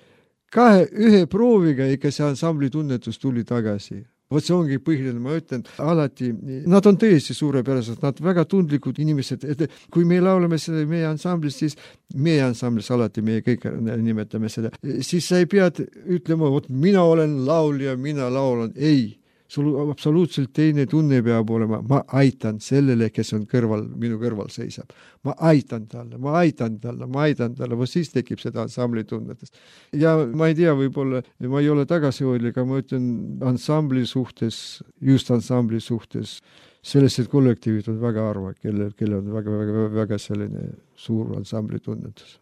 kahe, ühe prooviga ikka see ansambli tunnetus tuli tagasi. Vot see ongi põhiline, ma ütlen, alati, nad on tõesti suurepärased, nad väga tundlikud inimesed, et kui me laulame seda meie ansamblis, siis meie ansamblis alati, meie kõik nimetame seda, siis sa ei pead ütlema, vot mina olen laulja, mina laulan, ei. Sul absoluutselt teine tunne peab olema, ma aitan sellele, kes on kõrval, minu kõrval seisab. Ma aitan talle, ma aitan talle, ma aitan talle, või siis tekib seda ansambli tunnetes. Ja ma ei tea, võib-olla, ma ei ole tagasihoidlik, aga ma ütlen ansambli suhtes, just ansambli suhtes, sellised kollektiivid on väga arva, kelle, kelle on väga, väga, väga selline suur ansambli tunnetus.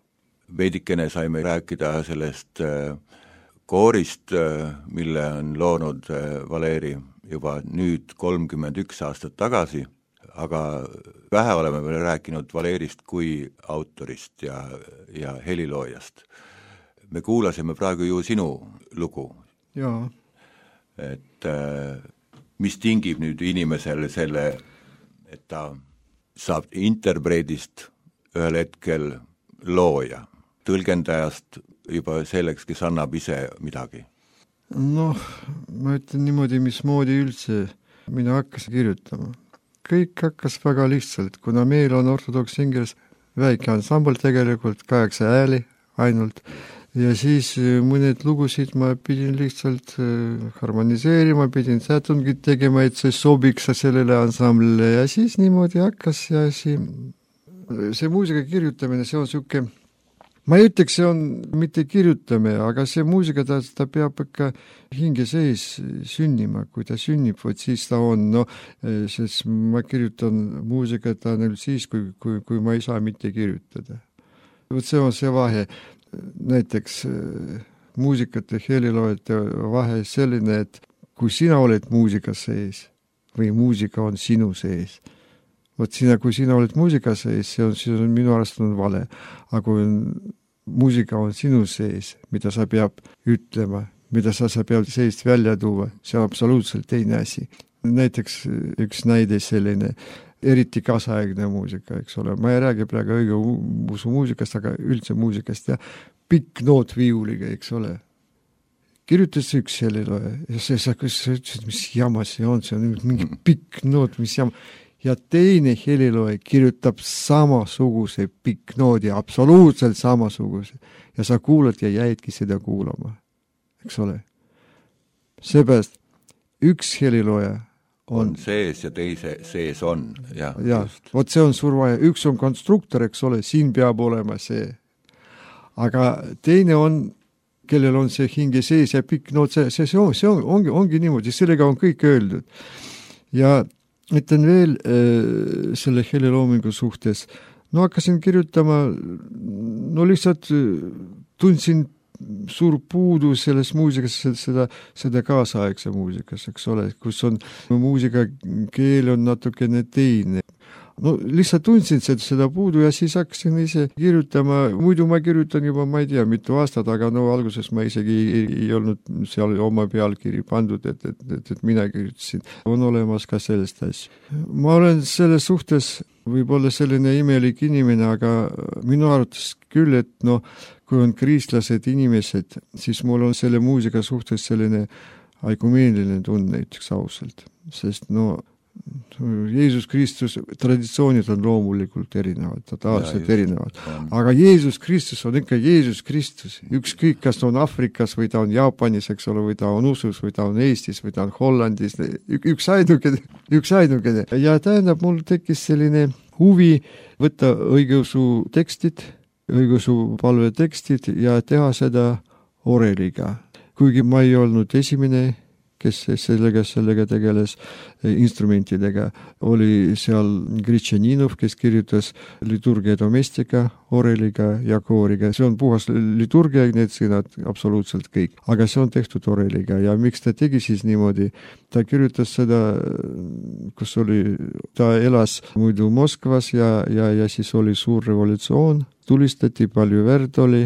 Veidikene saime rääkida sellest koorist, mille on loonud Valeri juba nüüd kolmkümmend üks aastat tagasi, aga vähe oleme veel rääkinud Valerist kui autorist ja, ja heliloojast. Me kuulasime praegu ju sinu lugu. Jaa. Et mis tingib nüüd inimesele selle, et ta saab interpreedist ühel hetkel looja, tõlgendajast juba selleks, kes annab ise midagi? Noh, ma ütlen niimoodi, mismoodi üldse mina hakkasin kirjutama. Kõik hakkas väga lihtsalt, kuna meil on Orthodox Singers väike ansambel tegelikult, kaheksa hääli ainult, ja siis mõned lugusid ma pidin lihtsalt harmoniseerima, pidin sätungid tegema, et see sobiks sellele ansamblile ja siis niimoodi hakkas ja see, see muusika kirjutamine, see on siuke ma ei ütleks, see on mitte kirjutame, aga see muusika, ta, ta peab ikka hinge sees sünnima, kui ta sünnib, võt siis ta on, no, sest ma kirjutan muusikat ainult siis, kui, kui, kui ma ei saa mitte kirjutada. Võt see on see vahe, näiteks muusikate heliloojate vahe selline, et kui sina oled muusika sees või muusika on sinu sees, vot sina, kui sina oled muusika sees, see on, see on minu arust on vale. Aga kui muusika on sinu sees, mida sa peab ütlema, mida sa, sa peab seest välja tuua, see on absoluutselt teine asi. Näiteks üks näide selline, eriti kaasaegne muusika, eks ole. Ma ei räägi praegu õigeusu muusikast, aga üldse muusikast ja pikk noot viiuliga, eks ole. Kirjutas üks heliloja ja see, sa, sa ütlesid, mis jama see on, see on mingi pikk noot, mis jama. Ja teine heliloja kirjutab samasuguse pikk noodi, absoluutselt samasuguse. Ja sa kuulad ja jäidki seda kuulama. Eks ole? Seepärast üks heliloja on, on sees ja teise sees on. Ja, ja vot see on suur vaja. Üks on konstruktor, eks ole, siin peab olema see. Aga teine on, kellel on see hinge sees ja pikk noot, see, see, see, on, see on, ongi, ongi niimoodi, sellega on kõik öeldud. Ja ütlen veel äh, selle heliloomingu suhtes. No hakkasin kirjutama, no lihtsalt tundsin suur puudu selles muusikas, seda, seda kaasaegse muusikas, eks ole, kus on muusika keel on natukene teine. No lihtsalt tundsin seda, seda puudu ja siis hakkasin ise kirjutama. Muidu ma kirjutan juba, ma ei tea, mitu aastat, aga no alguses ma isegi ei, ei olnud seal oma pealkiri pandud, et, et, et, et mina kirjutasin. On olemas ka sellest asja. Ma olen selles suhtes võib-olla selline imelik inimene, aga minu arvates küll, et no, kui on kristlased inimesed, siis mul on selle muusika suhtes selline aikumeeniline tunne, näiteks ausalt. Sest no Jeesus Kristus, traditsioonid on loomulikult erinevad, totaalselt erinevad. Aga Jeesus Kristus on ikka Jeesus Kristus. Ükskõik, kas ta on Afrikas või ta on Jaapanis, eks ole, või ta on Usus, või ta on Eestis, või ta on Hollandis. Üks ainukene, üks ainukene. Ja tähendab, mul tekkis selline huvi võtta õigeusu tekstid, õigeusu palve tekstid ja teha seda oreliga. Kuigi ma ei olnud esimene, kes sellega, sellega tegeles instrumentidega. Oli seal Gritšaninov, kes kirjutas liturgia domestika, oreliga ja kooriga. See on puhas liturgia, need sõnad absoluutselt kõik. Aga see on tehtud oreliga ja miks ta tegi siis niimoodi? Ta kirjutas seda, kus oli, ta elas muidu Moskvas ja, ja, ja siis oli suur revolutsioon, tulistati, palju verd oli.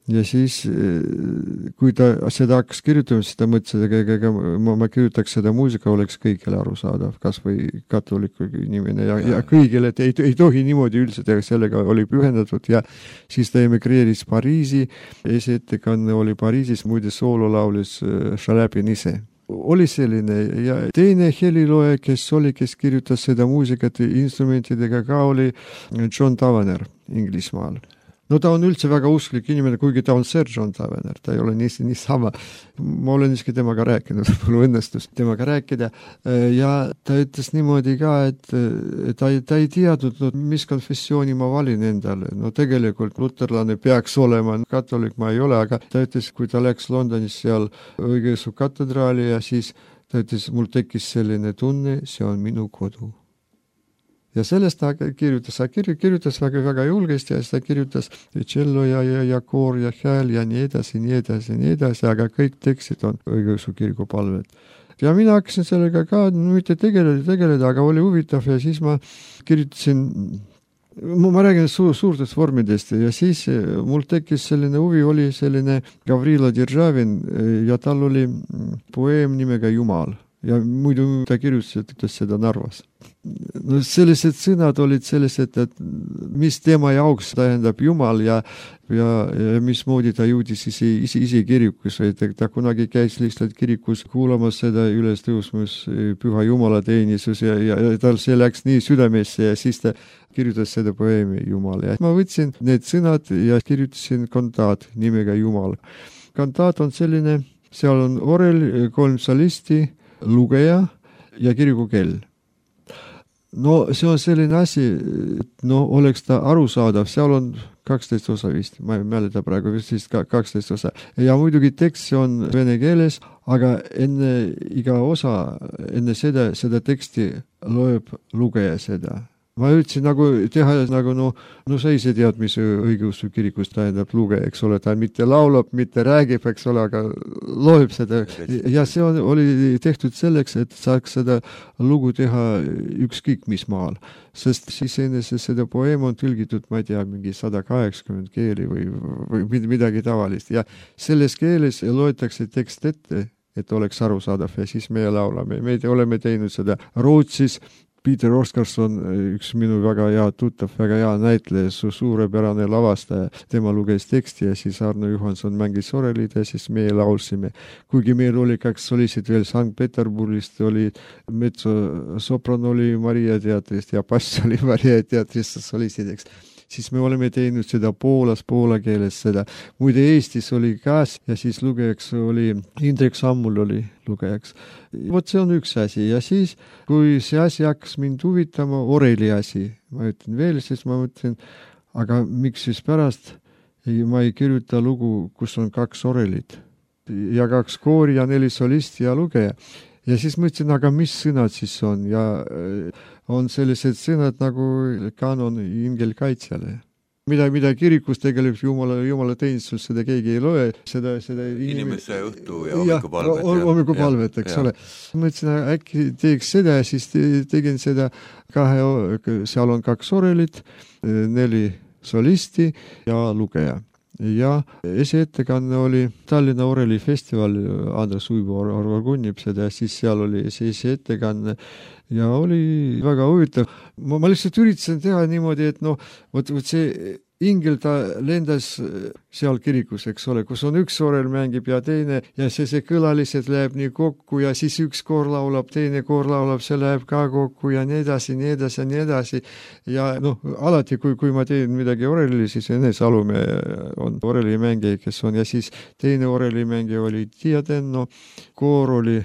Ja siis, kui ta seda hakkas kirjutama, siis ta mõtles, et ma, ma kirjutaks seda muusika, oleks kõigile arusaadav, kas või katoliku inimene ja, ja kõigile, et ei, ei tohi niimoodi üldse teha, sellega oli pühendatud ja siis ta emigreeris Pariisi, esiettekanne oli Pariisis, muide soolo laulis Šaläpin ise. Oli selline ja teine helilooja, kes oli, kes kirjutas seda muusikat instrumentidega ka oli John Tavener Inglismaal. No ta on üldse väga usklik inimene, kuigi ta on Sir John Tavener, ta ei ole nii, nii sama. Ma olen iski temaga rääkinud, mul õnnestus temaga rääkida ja ta ütles niimoodi ka, et ta, ta ei teadnud, no, mis konfessiooni ma valin endale. No tegelikult luterlane peaks olema, katolik ma ei ole, aga ta ütles, kui ta läks Londonis seal õigeusu katedraali ja siis ta ütles, mul tekkis selline tunne, see on minu kodu. Ja sellest ta kirjutas, ta kirjutas väga, väga julgesti ja ta kirjutas cello ja, ja, ja koor ja hääl ja nii edasi, nii edasi, nii edasi, aga kõik tekstid on õigeusu kiriku palved. Ja mina hakkasin sellega ka mitte tegeleda, tegeleda, aga oli huvitav ja siis ma kirjutasin, ma räägin suur, suurtest vormidest ja siis mul tekkis selline huvi, oli selline Gavrilo Державин ja tal oli poeem nimega Jumal. Ja muidu ta kirjutas seda Narvas. No sellised sõnad olid sellised, et mis tema jaoks tähendab Jumal ja, ja, ja mismoodi ta jõudis ise, ise, ise kirikus. Ta, ta kunagi käis lihtsalt kirikus kuulamas seda üles tõusmus püha Jumala teenisus ja, ja, ja tal see läks nii südamesse ja siis ta kirjutas seda poeemi Jumal. Ja ma võtsin need sõnad ja kirjutasin kantaat nimega Jumal. Kantaat on selline, seal on orel, kolm solisti, lugeja ja kirikukell. no see on selline asi, no oleks ta arusaadav, seal on kaksteist osa vist, ma ei mäleta praegu vist vist kaksteist osa. Ja muidugi tekst see on vene keeles, aga enne iga osa, enne seda, seda teksti loeb lugeja seda. Ma ütlesin nagu teha nagu no, no sa ise tead, mis õigeusu kirikus tähendab luge, eks ole, ta mitte laulab, mitte räägib, eks ole, aga loeb seda. Ja see on, oli tehtud selleks, et saaks seda lugu teha ükskõik mis maal. Sest siis enne seda poeem on tõlgitud, ma ei tea, mingi sada kaheksakümmend keeli või, või midagi tavalist. Ja selles keeles loetakse tekst ette, et oleks arusaadav ja siis me laulame. Me oleme teinud seda Rootsis. Peter Oscarson, üks minu väga hea tuttav, väga hea näitleja, su suurepärane lavastaja, tema luges teksti ja siis Arno Johanson mängis orelid ja siis me laulsime. Kuigi meil oli kaks solisid veel Sankt-Peterburgist, oli mezzo-sopran oli Maria teatrist ja bass oli Maria teatrist solisideks. Siis me oleme teinud seda Poolas, poola keeles seda. Muide Eestis oli käes ja siis lugejaks oli, Indrek Sammul oli lugejaks. Vot see on üks asi ja siis, kui see asi hakkas mind huvitama, oreli asi, ma ütlen veel, siis ma mõtlen, aga miks siis pärast ma ei kirjuta lugu, kus on kaks orelit ja kaks koori ja neli solisti ja lugeja. Ja siis mõtlesin, aga mis sõnad siis on ja on sellised sõnad nagu kanon ingelkaitsjale. Mida, mida kirikus tegelikult jumala, jumala teenistusel seda keegi ei loe. Seda, seda inimese õhtu ja hommikupalvet. Ja, hommikupalvet, eks ja. Ole. Mõtlesin, äkki teeks seda ja siis tegin seda kahe, seal on kaks orelit, neli solisti ja lugeja. Ja esiettekanne oli Tallinna Oreli festival, Andres Uibo organib seda ja siis seal oli see esiettekanne ja oli väga huvitav. Ma, ma lihtsalt üritasin teha niimoodi, et noh, võt, võt see ingel ta lendas seal kirikus, eks ole, kus on üks orel mängib ja teine ja see, see kõla lihtsalt läheb nii kokku ja siis üks koor laulab, teine koor laulab, see läheb ka kokku ja nii edasi, nii edasi ja nii edasi. Ja noh, alati kui, kui ma teen midagi oreli, siis Ene Salume on orelimängija, kes on ja siis teine orelimängija oli Diadenno, koor oli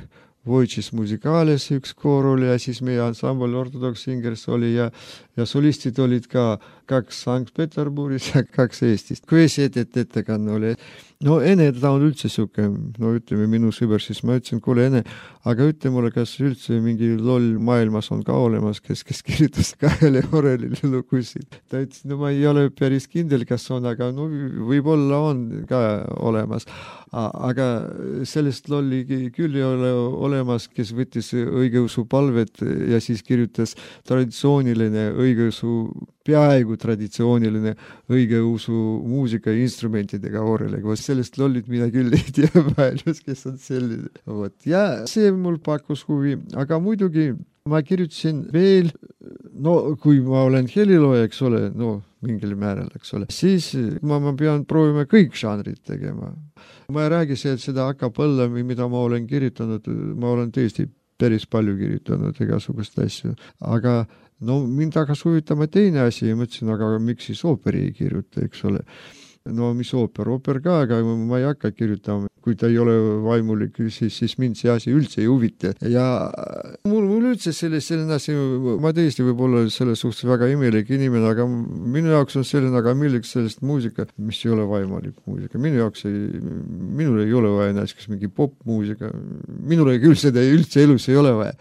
Voicis Musicales, üks koor oli ja siis meie ansambel Ortodox Singers oli ja, ja solistid olid ka kaks Sankt-Peterburgis ja kaks Eestist. Kui esi et ettekanne oli, no Ene ta on üldse suke, no ütleme minu sõber, siis ma ütlesin, kuule Ene, aga ütle mulle, kas üldse mingi loll maailmas on ka olemas, kes, kes kirjutas kahele orelile lugusid. Ta ütles, no ma ei ole päris kindel, kas on, aga no võib-olla on ka olemas. Aga sellest lolli küll ei ole olemas, kes võttis õigeusu palvet ja siis kirjutas traditsiooniline õigeusu, peaaegu traditsiooniline õigeusu muusika ja instrumentidega oreliga. Sellest lollid mina küll ei tea maailmas, kes on selline. Vot. Ja see mul pakkus huvi, aga muidugi ma kirjutasin veel, no kui ma olen helilooja, eks ole, no mingil määral, eks ole, siis ma, ma pean proovima kõik žanrid tegema. Ma ei räägi see, et seda acapella, mida ma olen kirjutanud, ma olen tõesti päris palju kirjutanud igasugust asju, aga no mind hakas huvitama teine asi ja mõtlesin, aga miks siis ooperi ei kirjuta, eks ole. No mis ooper, ooper ka, aga ma ei hakka kirjutama. Kui ta ei ole vaimulik, siis, siis mind see asi üldse ei huvita. Ja mul, mul üldse selle, selline asi, ma tõesti võib olla selles suhtes väga imelik inimene, aga minu jaoks on selline, aga milleks sellest muusika, mis ei ole vaimulik muusika. Minu jaoks ei, minul ei ole vaja näiteks mingi popmuusika. Minul ei küll seda üldse elus ei ole vaja.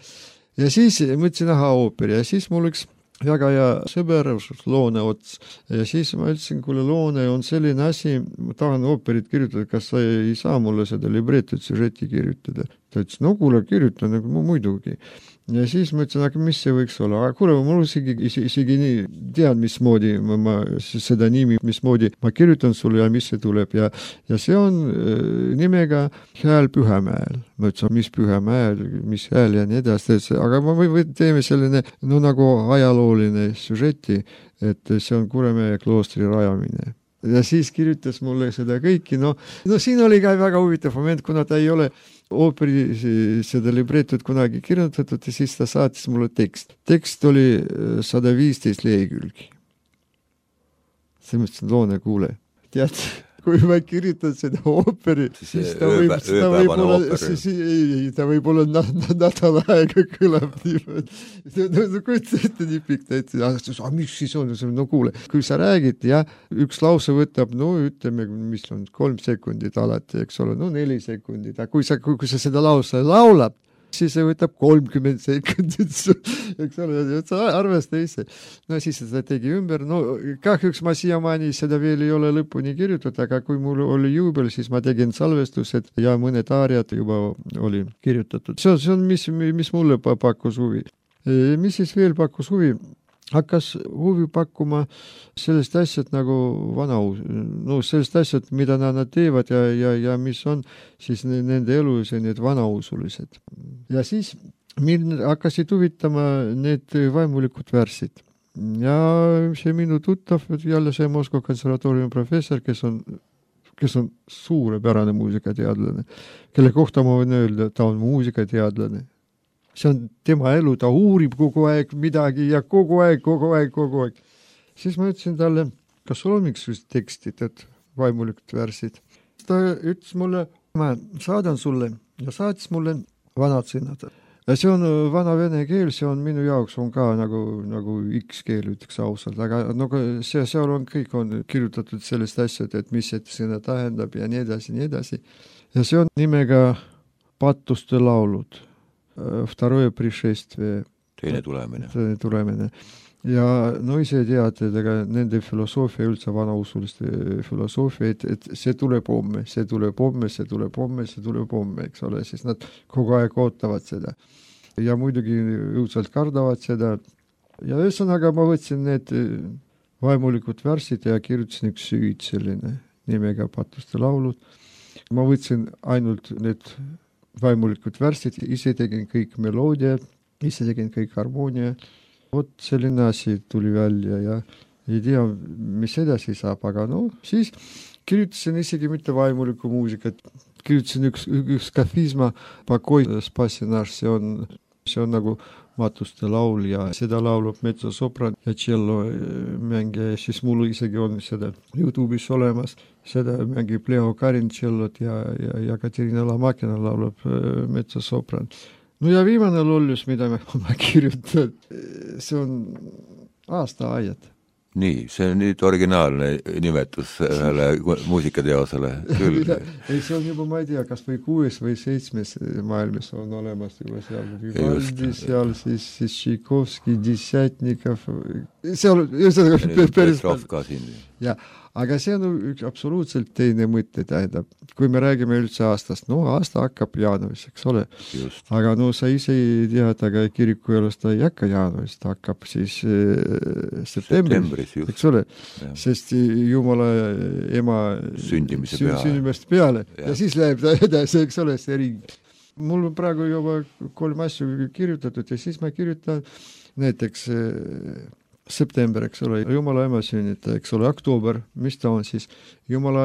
Ja siis mõtlesin, aha, ooper ja siis mul üks väga hea sõber, Loone Ots. Ja siis ma ütlesin, kuule Loone on selline asi, ma tahan ooperit kirjutada, kas sa ei saa mulle seda libretot süžeti kirjutada. Ta ütles, no kuule, kirjutan, nagu muidugi. Ja siis ma ütlesin, aga mis see võiks olla? Aga kuule, mul isegi, isegi nii tean, mismoodi ma, ma seda nimi, mismoodi ma kirjutan sulle ja mis see tuleb. Ja, ja see on äh, nimega Hääl Pühamäel. Ma ütlesin, mis Pühamäel, mis hääl ja nii edasi. Aga ma või, või teeme selline, no nagu ajalooline süžeti, et see on Kuremäe kloostri rajamine. Ja siis kirjutas mulle seda kõiki. No, no siin oli ka väga huvitav moment, kuna ta ei ole ooperi seda libretot kunagi kirjutatud ja siis ta saatis mulle tekst. Tekst oli sada viisteist lehekülgi. See mõtlesin, Loone, kuule. Tead, kui ma kirjutan seda ooperi, siis ta võib, ta võib olla, siis ei, ta võib olla nädal aega kõlab niimoodi. No, no kujuta ette nii pikk täitsa, aga mis siis on? No kuule, kui sa räägid, ja üks lause võtab, no ütleme, mis on kolm sekundit alati, eks ole, no neli sekundit, aga kui sa, kui sa seda lause laulab, siis see võtab kolmkümmend sekundit, eks ole, sa arvesta ise. No siis seda tegi ümber, no kahjuks ma siiamaani seda veel ei ole lõpuni kirjutatud, aga kui mul oli juubel, siis ma tegin salvestused ja mõned aariad juba oli kirjutatud. See on, see on mis, mis mulle pakkus huvi. Mis siis veel pakkus huvi? Hakkas huvi pakkuma sellest asjad nagu vanauus, no sellest asjad, mida nad teevad ja, ja, ja mis on siis nende elus ja need vanausulised. Ja siis mind hakkasid huvitama need vaimulikud värsid. Ja see minu tuttav, jälle see Moskva konservatooriumi professor, kes on, kes on suurepärane muusikateadlane, kelle kohta ma võin öelda, ta on muusikateadlane. See on tema elu, ta uurib kogu aeg midagi ja kogu aeg, kogu aeg, kogu aeg. Siis ma ütlesin talle, kas sul on mingisugused tekstid, et vaimulikud värsid. Ta ütles mulle, ma saadan sulle ja saatis mulle vanad sõnad. Ja see on vana vene keel, see on minu jaoks on ka nagu, nagu X keel, ütleks ausalt, aga no, see, seal on kõik on kirjutatud sellest asjad, et mis see sõna tähendab ja nii edasi, nii edasi. Ja see on nimega Patuste laulud. Второе пришествие. Teine tulemine. Teine tulemine. Ja no ise teate, ega nende filosoofia, üldse vanausuliste filosoofia, et, et see tuleb homme, see tuleb homme, see tuleb homme, see tuleb homme, eks ole, siis nad kogu aeg ootavad seda. Ja muidugi õudselt kardavad seda. Ja ühesõnaga ma võtsin need vaimulikud värsid ja kirjutasin üks süüd selline nimega Patuste laulud. Ma võtsin ainult need vaimulikud värsid, ise tegin kõik meloodia, ise tegin kõik harmoonia. Vot selline asi tuli välja ja ei tea, mis edasi saab, aga no siis kirjutasin isegi mitte vaimulikku muusikat. Kirjutasin üks, üks kafisma Pakoi Spassinaš, see on, see on nagu Matuste laul ja seda laulab metsosopran ja cello mängija, siis mul isegi on seda YouTube'is olemas, seda mängib Leo Karin cellot ja, ja, ja Katerina Lamakina laulab metsosopran. No ja viimane lollus, mida ma, ma kirjutan, see on aastaajad. Nii, see on nüüd originaalne nimetus ühele muusikateosele. Küll. Ei, see on juba, ma ei tea, kas või kuues või seitsmes maailmas on olemas juba seal Vivaldi, seal siis, siis Tšaikovski, Dissятников. Seal on päris ja, aga see on üks absoluutselt teine mõte, tähendab. Kui me räägime üldse aastast, no aasta hakkab jaanuaris, eks ole. Just. Aga no sa ise ei tead, aga kiriku elus ta ei hakka jaanuaris, ta hakkab siis äh, septembris, eks ole. Ja. Sest Jumala ema sündimise sün, sündimist peale ja. Ja siis läheb ta edasi, eks ole, see ring. Mul on praegu juba kolm asju kirjutatud ja siis ma kirjutan näiteks äh, september, eks ole, Jumala ema sünnita, eks ole, oktoober, mis ta on siis, Jumala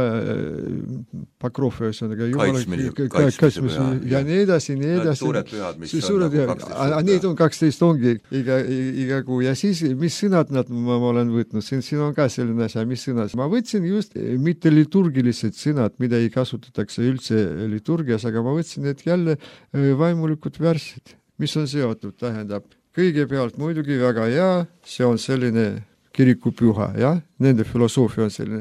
Pakrofi, kaitsmine, kaitsmise ja, ja nii edasi, nii edasi. Suured pühad, mis suured on nagu kaksteist. Need on kaksteist ongi iga, iga kuu ja siis, mis sõnad nad ma, ma olen võtnud, siin, siin on ka selline asja, mis sõnad. Ma võtsin just mitte liturgilised sõnad, mida ei kasutatakse üldse liturgias, aga ma võtsin need jälle vaimulikud värsid, mis on seotud, tähendab. Kõigepealt muidugi väga hea, see on selline kirikupüha, jah, nende filosoofia on selline.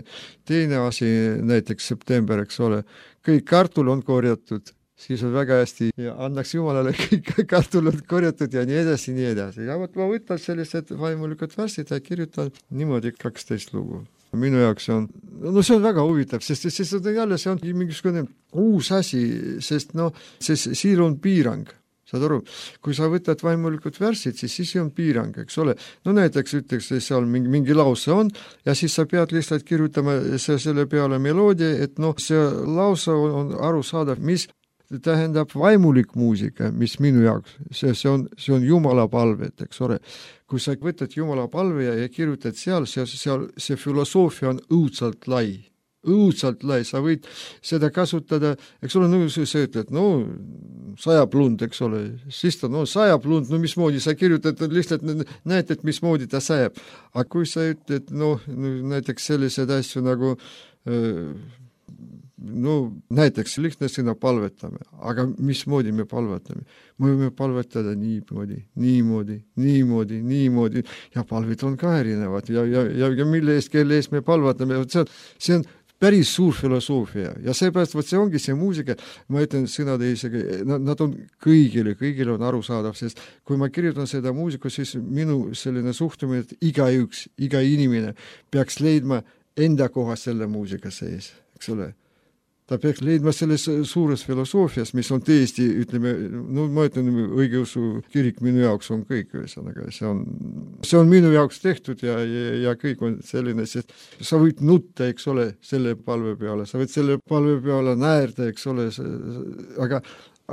Teine asi, näiteks september, eks ole, kõik kartul on korjatud, siis on väga hästi ja annaks Jumalale kõik kartul on korjatud ja nii edasi, nii edasi. Ja võt ma võtan sellised vaimulikud värsid ja kirjutan niimoodi kaksteist lugu. Minu jaoks see on, no see on väga huvitav, sest, sest on jälle see on mingisugune uus asi, sest no, sest siin on piirang. Saad aru, kui sa võtad vaimulikud värsid, siis siis on piirang, eks ole. No näiteks ütleks, seal mingi, mingi lause on ja siis sa pead lihtsalt kirjutama selle peale meloodia, et noh, see lause on aru saadav, mis tähendab vaimulik muusika, mis minu jaoks, see, see, on, see on Jumala palvet, eks ole. Kui sa võtad Jumala palve ja, ja kirjutad seal, see, seal, see filosoofia on õudselt lai. õudselt lai, sa võid seda kasutada, eks ole, no sa ütled, no sajab lund, eks ole, siis ta, no sajab lund, no mismoodi sa kirjutad, lihtsalt näed, et mismoodi ta sajab. Aga kui sa ütled, no näiteks sellised asju nagu no näiteks lihtne sõna palvetame, aga mismoodi me palvetame? Me võime palvetada niimoodi, niimoodi, niimoodi, niimoodi ja palvid on ka erinevad ja, ja, ja, ja mille eest, kelle eest me palvetame, see on, see on päris suur filosoofia ja seepärast, võt see ongi see muusika, ma ütlen sõnade isegi, nad on kõigile, kõigile on arusaadav, sest kui ma kirjutan seda muusiku, siis minu selline suhtumine, et igaüks, iga inimene peaks leidma enda koha selle muusika sees, eks ole. Ta peaks leidma selles suures filosoofias, mis on tõesti, ütleme, no ma ütlen, õigeusu kirik minu jaoks on kõik, ühesõnaga, see on, see on minu jaoks tehtud ja, ja, ja kõik on selline, sest sa võid nutta, eks ole, selle palve peale, sa võid selle palve peale näärda, eks ole, aga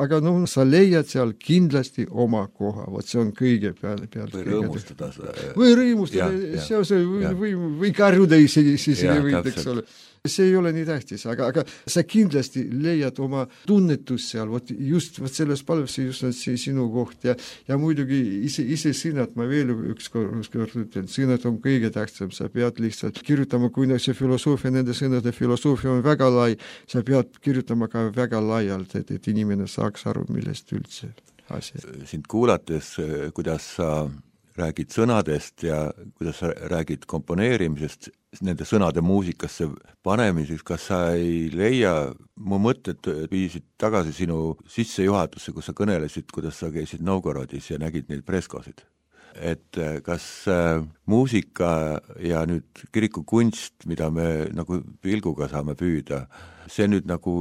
aga no sa leiad seal kindlasti oma koha, vot see on kõige peale. peale või rõõmustada. Või rõõmustada, see on see, või, või, või karjuda isegi, siis ei võid, eks ole. See ei ole nii tähtis, aga, aga sa kindlasti leiad oma tunnetus seal, vot just vot selles palves just on see sinu koht ja, ja muidugi ise, ise sõnad, ma veel üks kord, üks kord ütlen, sõnad on kõige tähtsam, sa pead lihtsalt kirjutama, kui see filosoofia, nende sõnade filosoofia on väga lai, sa pead kirjutama ka väga laialt, et, et inimene saaks aru, millest üldse asi. Sind kuulates, kuidas sa räägid sõnadest ja kuidas sa räägid komponeerimisest, nende sõnade muusikasse panemiseks, kas sa ei leia, mu mõtted viisid tagasi sinu sissejuhatusse, kus sa kõnelesid, kuidas sa käisid Novgorodis ja nägid neid freskosid. Et kas muusika ja nüüd kirikukunst, mida me nagu pilguga saame püüda, see nüüd nagu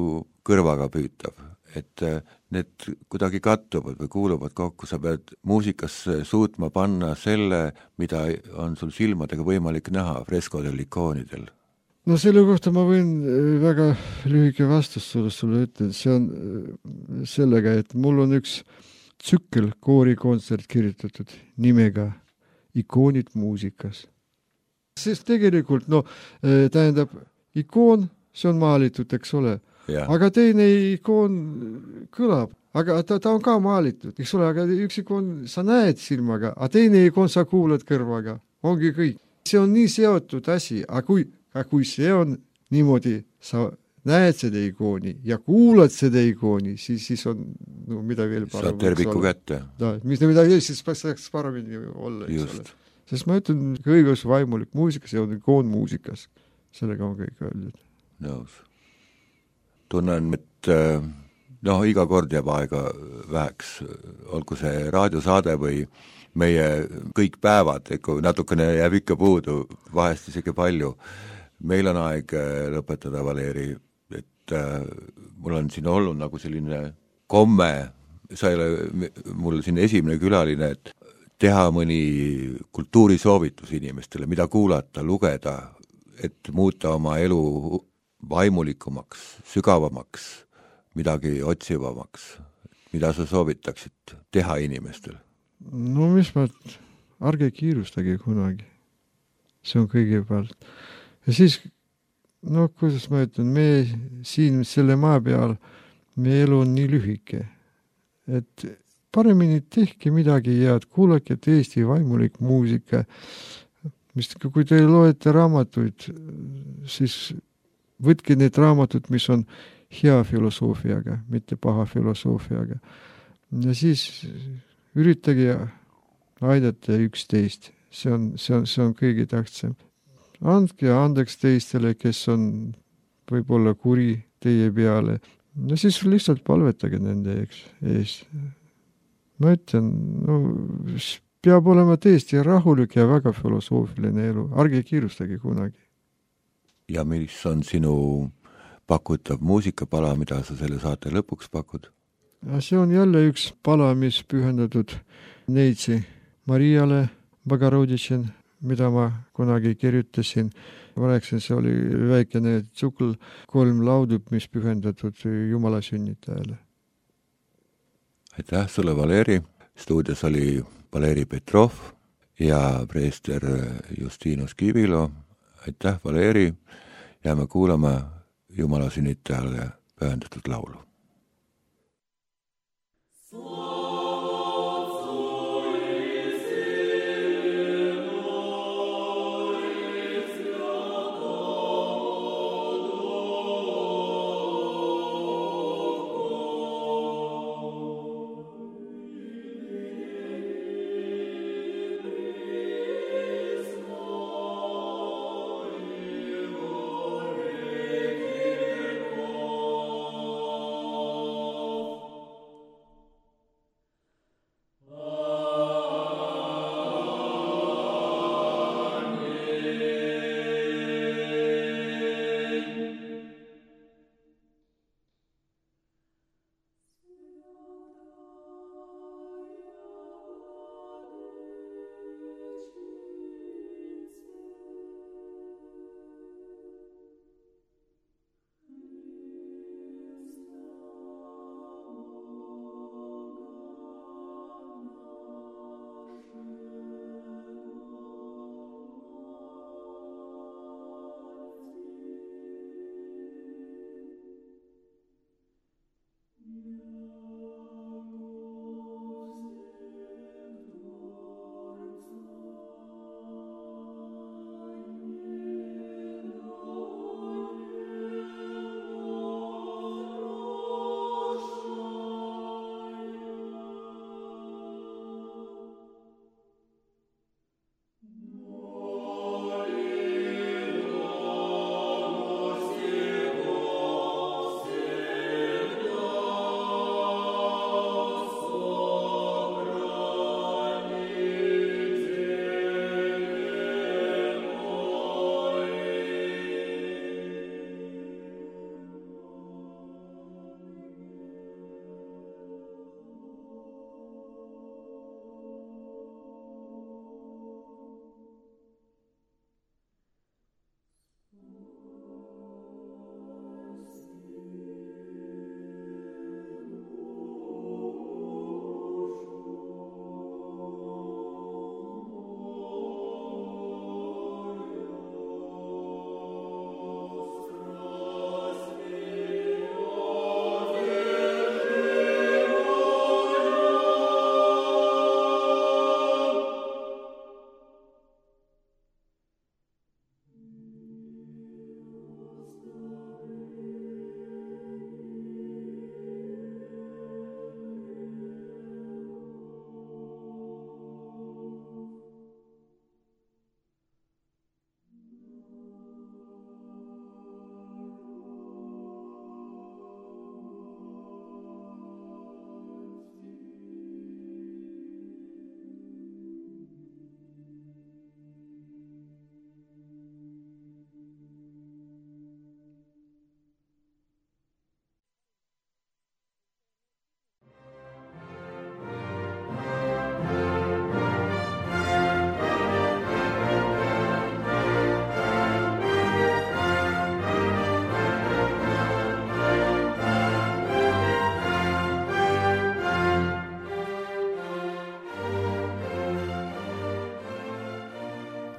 kõrvaga püütav, et need kuidagi kattuvad või kuuluvad kokku, sa pead muusikasse suutma panna selle, mida on sul silmadega võimalik näha freskodel, ikoonidel. No selle kohta ma võin väga lühike vastus sulle, sulle ütelda, see on sellega, et mul on üks tsükkel koorikontsert kirjutatud nimega Ikoonid muusikas. Sest tegelikult, no tähendab, ikoon, see on maalitud, eks ole, ja. Aga teine ikoon kõlab, aga ta, ta on ka maalitud, eks ole, aga üks ikoon sa näed silmaga, aga teine ikoon sa kuulad kõrvaga, ongi kõik. See on nii seotud asi, aga kui, aga kui see on niimoodi, sa näed seda ikooni ja kuulad seda ikooni, siis, siis on no, mida veel parem. Saad terviku kätte. Da, mis mida veel, siis saaks paremini olla. Just. Sest ma ütlen, kõigus vaimulik muusika, see on ikoon muusikas. Sellega on kõik öeldud. Nõus. Tunnen, et noh, iga kord jääb aega väheks, olgu see raadiosaade või meie kõik päevad, natukene jääb ikka puudu, vahest isegi palju. Meil on aeg lõpetada, Valeri, et äh, mul on siin olnud nagu selline komme, sa ei ole mul siin esimene külaline, et teha mõni kultuurisoovitus inimestele, mida kuulata, lugeda, et muuta oma elu vaimulikumaks, sügavamaks, midagi otsivamaks, mida sa soovitaksid teha inimestel? No mis ma, ärge kiirustage kunagi. See on kõigepealt. Ja siis, no kuidas ma ütlen, me siin selle maa peal, me elu on nii lühike, et paremini tehke midagi head, kuulake tõesti vaimulik muusika, mis kui te loete raamatuid, siis võtke need raamatud, mis on hea filosoofiaga, mitte paha filosoofiaga. Ja siis üritage aidata üksteist. See on, see on, see on kõige tähtsam. Andke andeks teistele, kes on võib-olla kuri teie peale. Ja siis lihtsalt palvetage nende ees. Ma ütlen, no, peab olema tõesti rahulik ja väga filosoofiline elu. Ärge kiirustage kunagi. Ja mis on sinu pakutav muusikapala, mida sa selle saate lõpuks pakud? See on jälle üks pala, mis pühendatud Neitsi Mariale Bogorodice, mida ma kunagi kirjutasin. Ma rääksin, see oli väikene tsukl, kolm laudub, mis pühendatud Jumala sünnitajale. Aitäh sulle, Valeri. Stuudios oli Valeri Petrov ja preester Justinus Kivilo. Aitäh, Valeri, ja me kuulame Jumala sünnitajale pühendatud laulu.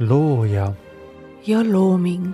looja ja looming.